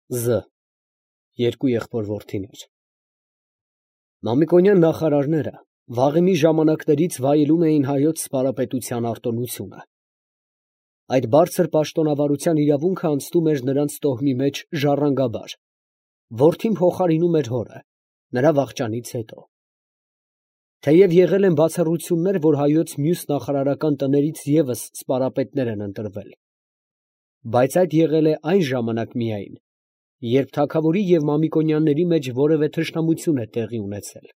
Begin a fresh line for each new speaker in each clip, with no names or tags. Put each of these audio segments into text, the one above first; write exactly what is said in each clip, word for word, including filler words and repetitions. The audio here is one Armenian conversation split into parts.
Զ. Երկու եղբոր որդիներ։ Մամիկոնյան նախարարները վաղեմի ժամանակներից վայելում էին հայոց սպարապետության արտոնությունը։ Այդ բարձր պաշտոնավարության իրավունքը անցնում էր նրանց տոհմի մեջ ժառանգաբար, որդին փոխարինում էր հորը, նրա վախճանից հետո։ Թեև եղել են բացառություններ, որ հայոց մյուս նախարարական տներից ևս սպարապետներ են ընտրվել, բայց այդ եղել է այն ժամանակ միայն, երբ թագավորի և Մամիկոնյանների մեջ որևէ թշնամություն է տեղի ունեցել։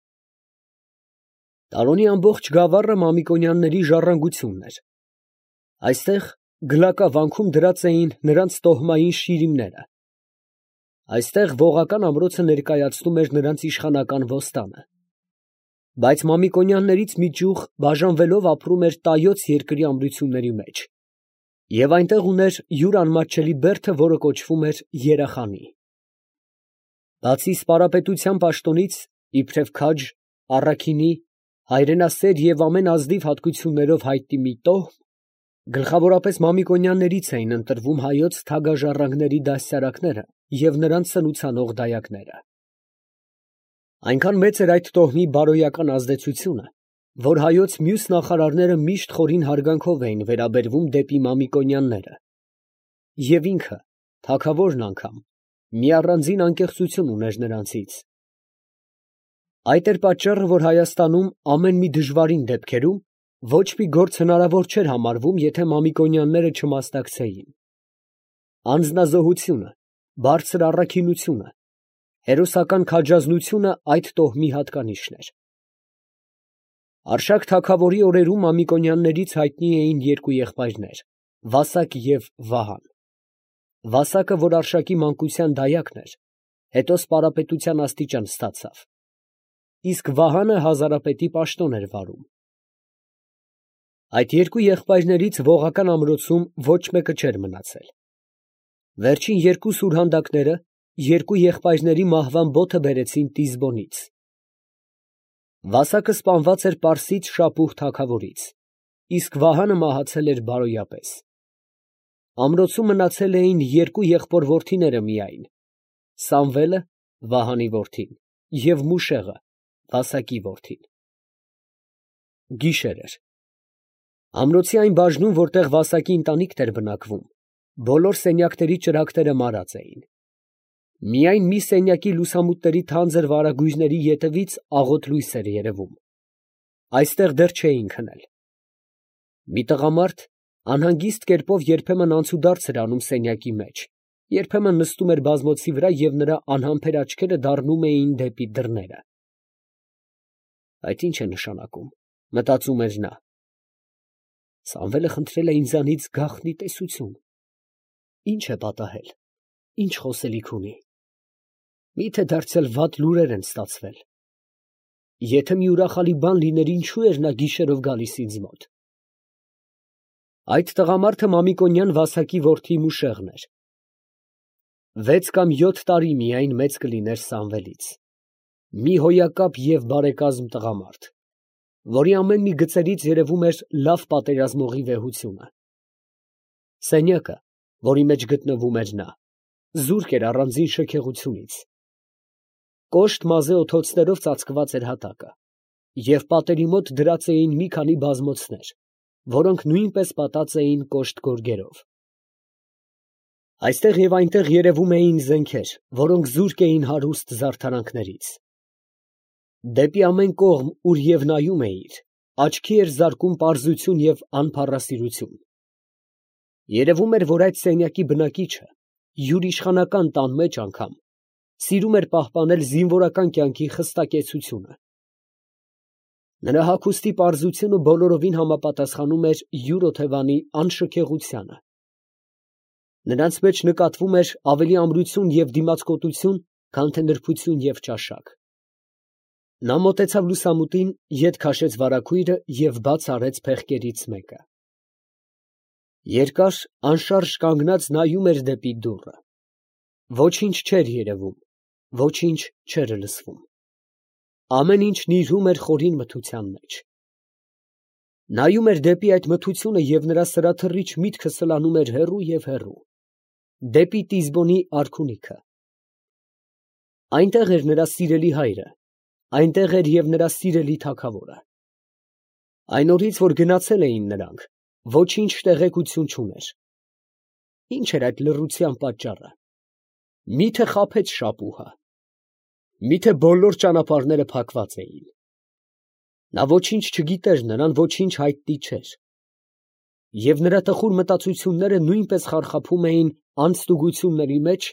Տարոնի ամբողջ գավառը Մամիկոնյանների ժառանգությունն էր։ Այստեղ գլակավանքում դրած էին նրանց տոհմային շիրիմները։ Այստեղ ողական ամրոցը ներկայացնում էր նրանց իշխանական ոստանը։ Բայց Մամիկոնյաններից մի ճյուղ բաժանվելով ապրում էր Տայոց երկրի ամրությունների մեջ, և այնտեղ ուներ յուր անմատչելի բերդը, որը կոչվում էր Երախանի։ Բացի սպարապետության պաշտոնից, իբրև քաջ, առաքինի, հայրենասեր և ամեն ազնիվ հատկություններով հայտնի մի տոհմ, գլխավորապես Մամիկոնյաններից էին ընտրվում հայոց թագաժառանգների դաստիարակները և նրանց սնուցանող դայակները։ Այնքան մեծ էր այդ տոհմի բարոյական ազդեցությունը, որ հայոց մյուս նախարարները միշտ խորին հարգանքով էին վերաբերվում դեպի Մամիկոնյանները, և ինքը, թագավորն անգամ, մի առանձին անկեղծություն ուներ նրանցից։ Այդ էր պատճառը, որ Հայաստանում ամեն մի դժվարին դեպքերում ոչ մի գործ հնարավոր չէր համարվում, եթե Մամիկոնյանները չմասնակցեին։ Անձնազոհությունը, բարձր առաքինությունը, հերոսական քաջազնությունը այդ տոհմի հատկանիշն էր։ Արշակ թագավորի օրերում Մամիկոնյաններից հայտնի էին երկու եղբայրներ՝ Վասակ և Վահան։ Վասակը, որ Արշակի մանկության դայակն էր, հետո սպարապետության աստիճան ստացավ, իսկ Վահանը հազարապետի պաշտոն էր վարում։ Այդ երկու եղբայրներից ողական ամրոցում ոչ մեկը չէր մնացել։ Վերջին երկու սուրհանդակները երկու եղբայրների մահվան բոթը բերեցին Տիզբոնից։ Վասակը սպանված էր Պարսից Շապուհ թագավորից, իսկ Վահանը մահացել էր բարոյապես։ Ամրոցում մնացել էին երկու եղբոր որդիները միայն՝ Սամվելը, Վահանի որդին, և Մուշեղը, Վասակի որդին։ Գիշեր էր։ Ամրոցի այն բաժնում, որտեղ Վասակի ընտանիքն էր բնակվում, բոլոր սենյակների ճրագները մարած էին։ Միայն մի սենյակի լուսամուտների թանձր վարագույրների ետևից աղոտ լույս էր երևում։ Այստեղ դեռ չէին քնել։ Մի տղամարդ անհանգիստ կերպով երբեմն անցուդարձ էր անում սենյակի մեջ, երբեմն նստում էր բազմոցի վրա և նրա անհամբեր աչքերը դառնում էին դեպի դռները։ Այդ ի՞նչ է նշանակում, մտածում էր նա։ Սամվելը խնդրել է ինձանից գաղտնի տեսություն։ Ի՞նչ է պատահել, ի՞նչ խոսելիք ունի։ Մի՞թե դարձյալ վատ լուրեր են ստացվել։ Եթե մի ուրախալի բան լիներ, ինչո՞ւ էր նա գիշերով գալիս ինձ մոտ։ Այդ տղամարդը Մամիկոնյան Վասակի որդի Մուշեղն էր։ Վեց կամ յոթ տարի միայն մեծ կլիներ Սամվելից։ Մի հոյակապ և բարեկազմ տղամարդ, որի ամեն մի գծերից երևում էր լավ պատերազմողի վեհությունը։ Սենյակը, որի մեջ գտնվում էր նա, զուրկ էր առանձին շքեղությունից։ Կոշտ մազե օդոցներով ծածկված էր հատակը, և պատերի մոտ դրած էին մի քանի բազմոցներ, որոնք նույնպես պատած էին կոշտ գորգերով։ Այստեղ և այնտեղ երևում էին զենքեր, որոնք զուրկ էին հարուստ զարդարանքներից։ Դեպի ամեն կողմ, ուր և նայում էիր, աչքի էր զարկում պարզություն և անփառասիրություն։ Երևում էր, որ այդ սենյակի բնակիչը, յուր իշխանական տան մեջ անգամ, սիրում էր պահպանել զինվորական կյանքի խստակեցությունը։ Նրա հագուստի պարզությունը բոլորովին համապատասխանում էր յուր օթևանի անշքեղությանը։ Նրանց մեջ նկատվում էր ավելի ամրություն և դիմացկոտություն, քան թե նրբություն և ճաշակ։ Նա մոտեցավ լուսամուտին, ետ քաշեց վարագույրը և բաց արեց փեղկերից մեկը։ Երկար, անշարժ կանգնած նայում էր դեպի դուռը։ Ոչինչ չէր երևում, ոչինչ չէր լսվում։ Ամեն ինչ նիրհում էր խորին մթության մեջ։ Նայում էր դեպի այդ մթությունը և նրա սրաթռիչ միտքը սլանում էր հեռու և հեռու, դեպի Տիզբոնի արքունիքը, Այնտեղ էր նրա սիրելի հայրը, այնտեղ էր և նրա սիրելի թագավորը։ Այն օրից, որ գնացել էին նրանք, ոչինչ տեղեկություն չուներ։ Ինչ էր այդ լռության պատճառը։ Մի՞թե խաբեց շապուհը։ Մի՞թե բոլոր ճանապարհները փակված էին։ Նա ոչինչ չգիտեր, նրան ոչինչ հայտնի չէր։ Եվ նրա տխուր մտածությունները նույնպես խարխափում էին անձտուգությունների մեջ,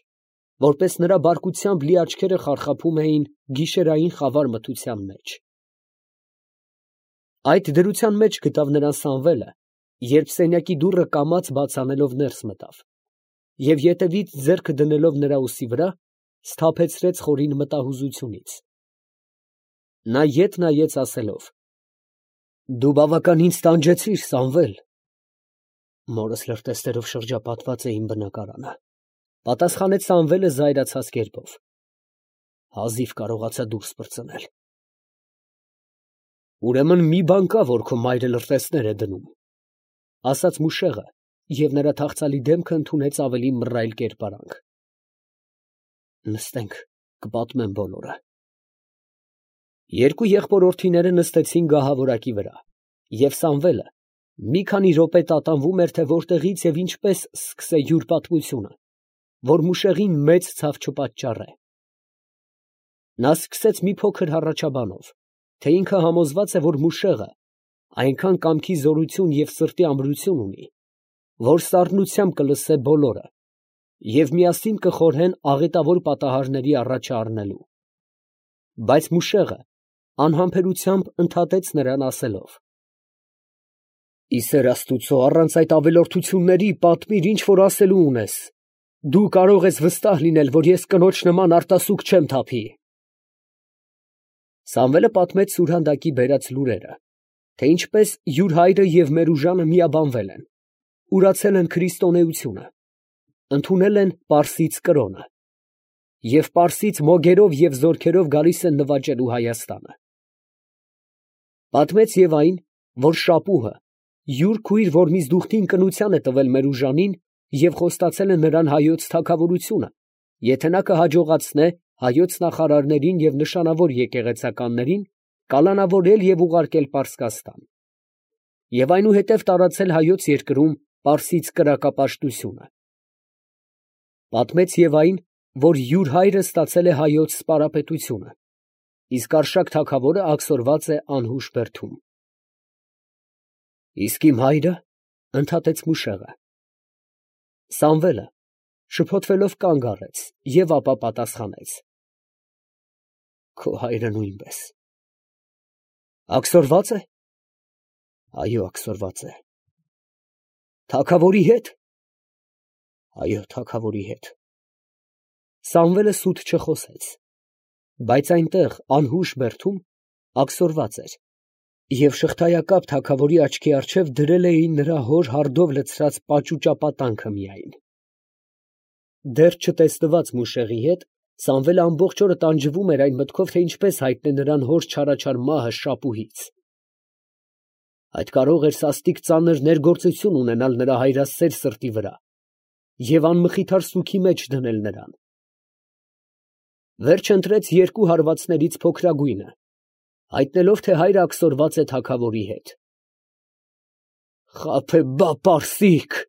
որպես նրա բարկությամբ լի աչքերը խարխափում էին գիշերային խավար մթության մեջ։ Այդ դրության մեջ գտավ նրան Սամվելը, երբ սենյակի դուռը կամաց բաց անելով ներս մտավ, և ետևից ձեռքը դնելով նրա ուսի վրա, սթափեցրեց խորին մտահուզությունից։ Նա ետ նայեց ասելով. «Դու բավական ինձ տանջեցիր, Սամվել»։ Մորս լրտեսներով շրջապատված է իմ բնակարանը, ֊ պատասխանեց Սամվելը զայրացած կերպով։ Հազիվ կարողացա դուրս պրծնել։ Ուրեմն մի բան կա, որ քո մայրը լրտեսներ է դնում, ֊ ասաց Մուշեղը, և նրա թախծալի դեմքը ընդունեց ավելի մռայլ կերպարանք։ Նստենք, կպատմեմ բոլորը։ Երկու եղբորորդիները նստեցին գահավորակի վրա, և Սամվելը մի քանի րոպե տատանվում էր, թե որտեղից և ինչպես սկսե յուր պատմությունը, որ Մուշեղին մեծ ցավ չպատճառե։ Նա սկսեց մի փոքր հառաչաբանով, թե ինքը համոզված է, որ Մուշեղը այնքան կամքի զորություն և սրտի ամրություն ունի, որ սառնությամբ կլսե բոլորը և միասին կխորհեն աղետավոր պատահարների առաջը առնելու։ Բայց Մուշեղը անհամբերությամբ ընդհատեց նրան ասելով. «Ի սեր Աստուծո, առանց այդ ավելորդությունների պատմիր, ինչ որ ասելու ունես. դու կարող ես վստահ լինել, որ ես կնոջ նման արտասուք չեմ թափի»։ Սամվելը պատմեց սուրհանդակի բերած լուրերը, թե ինչպես յուր հայրը և Մերուժանը միաբանվել են, ուրացել են քրիստոնեությունը, ընդունել են պարսից կրոնը և պարսից մոգերով և զորքերով գալիս են նվաճելու Հայաստանը։ Պատմեց և այն, որ շապուհը յուր քույր Որմիզդուխտին կնության է տվել Մերուժանին և խոստացել է նրան հայոց թագավորությունը, եթե նա կհաջողացնե հայոց նախարարներին և նշանավոր եկեղեցականներին կալանավորել և ուղարկել Պարսկաստան, և այնուհետև տարածել հայոց երկրում պարսից կրակապաշտությունը։ Պատմեց և այն, որ յուր հայրը ստացել է հայոց սպարապետությունը, իսկ Արշակ թագավորը աքսորված է անհուշ բերդում։ Իսկ իմ հայրը, ֊ ընդհատեց Մուշեղը։ Սամվելը շփոթվելով կանգ առեց և ապա պատասխանեց. Քո հայրը նույնպես։ Աքսորվա՞ծ է։ Այո, աքսորված է։ Թագավորի հետ։ Այո, թագավորի հետ։ Սամվելը սուտ չխոսեց, բայց այնտեղ անհուշ բերդում աքսորված էր, և շղթայակապ թագավորի աչքի առջև դրել էին նրա հոր հարդով լցրած պաճուճապատանքը միայն։ Դեռ չտեսնված Մուշեղի հետ, Սամվելը ամբողջ օրը տանջվում էր այն մտքով, թե ինչպես հայտնե նրան հոր չարաչար մահը շապուհից։ Այդ կարող էր սաստիկ ծանր ներգործություն ունենալ նրա հայրասեր սրտի վրա և անմխիթար սուգի մեջ դնել նրան։ Վերջ ընտրեց երկու հարվածներից փոքրագույնը, հայտնելով, թե հայրը աքսորված է թագավորի հետ։ Խաբեբա պարսիկ, ֊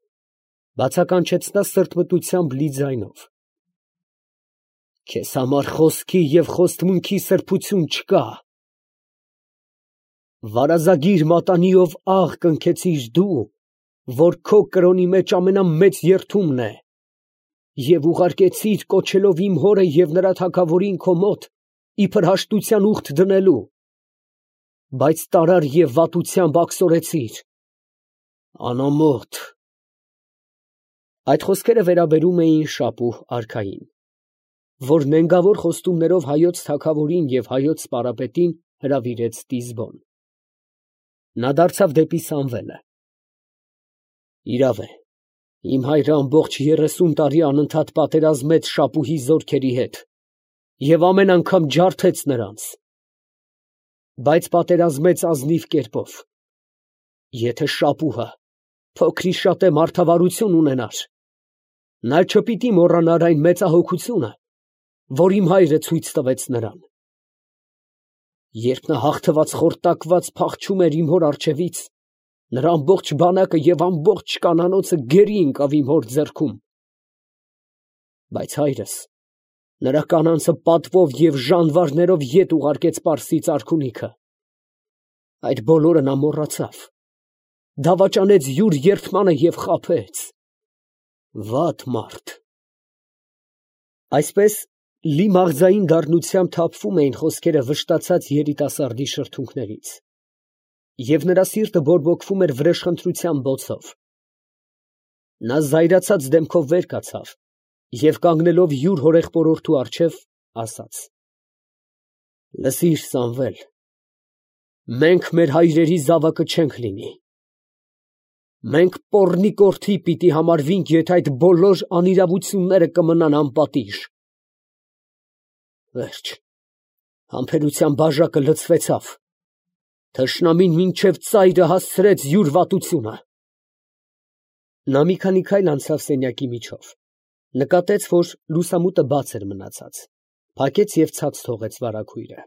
բացականչեց նա սրտմտությամբ լի ձայնով։ Քեզ համար խոսքի և խոստմունքի սրբություն չկա։ Վարազագիր մատանիով աղ կնքեցիր դու, որ քո կրոնի մեջ ամենամեծ երդումն է, և ուղարկեցիր կոչելով իմ հորը և նրա թագավորին քո մոտ իբր հաշտության ուխտ դնելու, բայց տարար և վատությամբ աքսորեցիր։ Անամոթ։ Այդ խոսքերը վերաբերում էին շապուհ արքային, որ նենգավոր խոստումներով հայոց թագավորին և հայոց սպարապետին հրավիրեց Տիզբոն։ Նա դարձավ դեպի Սամվելը. Իրավ է, իմ հայրը ամբողջ երեսուն տարի անընդհատ պատերազմեց շապուհի զորքերի հետ և ամեն անգամ ջարդեց նրանց, բայց պատերազմեց ազնիվ կերպով։ Եթե շապուհը փոքրիշատե մարդավարություն ունենար, նա չպիտի մոռանար այն մեծահոգությունը, որ իմ հայրը ցույց տվեց նրան։ Երբ նա հաղթված խորտակված փախչում էր իմ հոր առջևից, նրա ամբողջ բանակը և ամբողջ կանանոցը գերի ընկավ իմ հոր ձեռքում։ Բայց հայրս նրա կանանցը պատվով և ժանվարներով ետ ուղարկեց Պարսից արքունիքը։ Այդ բոլորը նա մոռացավ, դավաճանեց յուր երդմանը և խաբեց։ Վատ մարդ։ Այսպես լի մաղձային դառնությամբ թափվում էին խոսքերը վշտացած երիտասարդի շրթունքներից, և նրա սիրտը բորբոքվում էր վրեժխնդրության բոցով։ Նա զայրացած դեմքով վեր կացավ և կանգնելով յուր հորեղբորորդու առջև, ասաց. «Լսիր, Սամվել, մենք մեր հայրերի զավակը չենք լինի. մենք պոռնիկ որդի պիտի համարվենք, եթե այդ բոլոր անիրավությունները կմնան անպատիժ»։ Վերջ, համբերության բաժակը լցվեցավ, թշնամին մինչև ծայրը հասցրեց յուր վատությունը։ Նա մի քանի քայլ անցավ սենյակի միջով, նկատեց, որ լուսամուտը բաց էր մնացած, փակեց և ցած թողեց վարագույրը։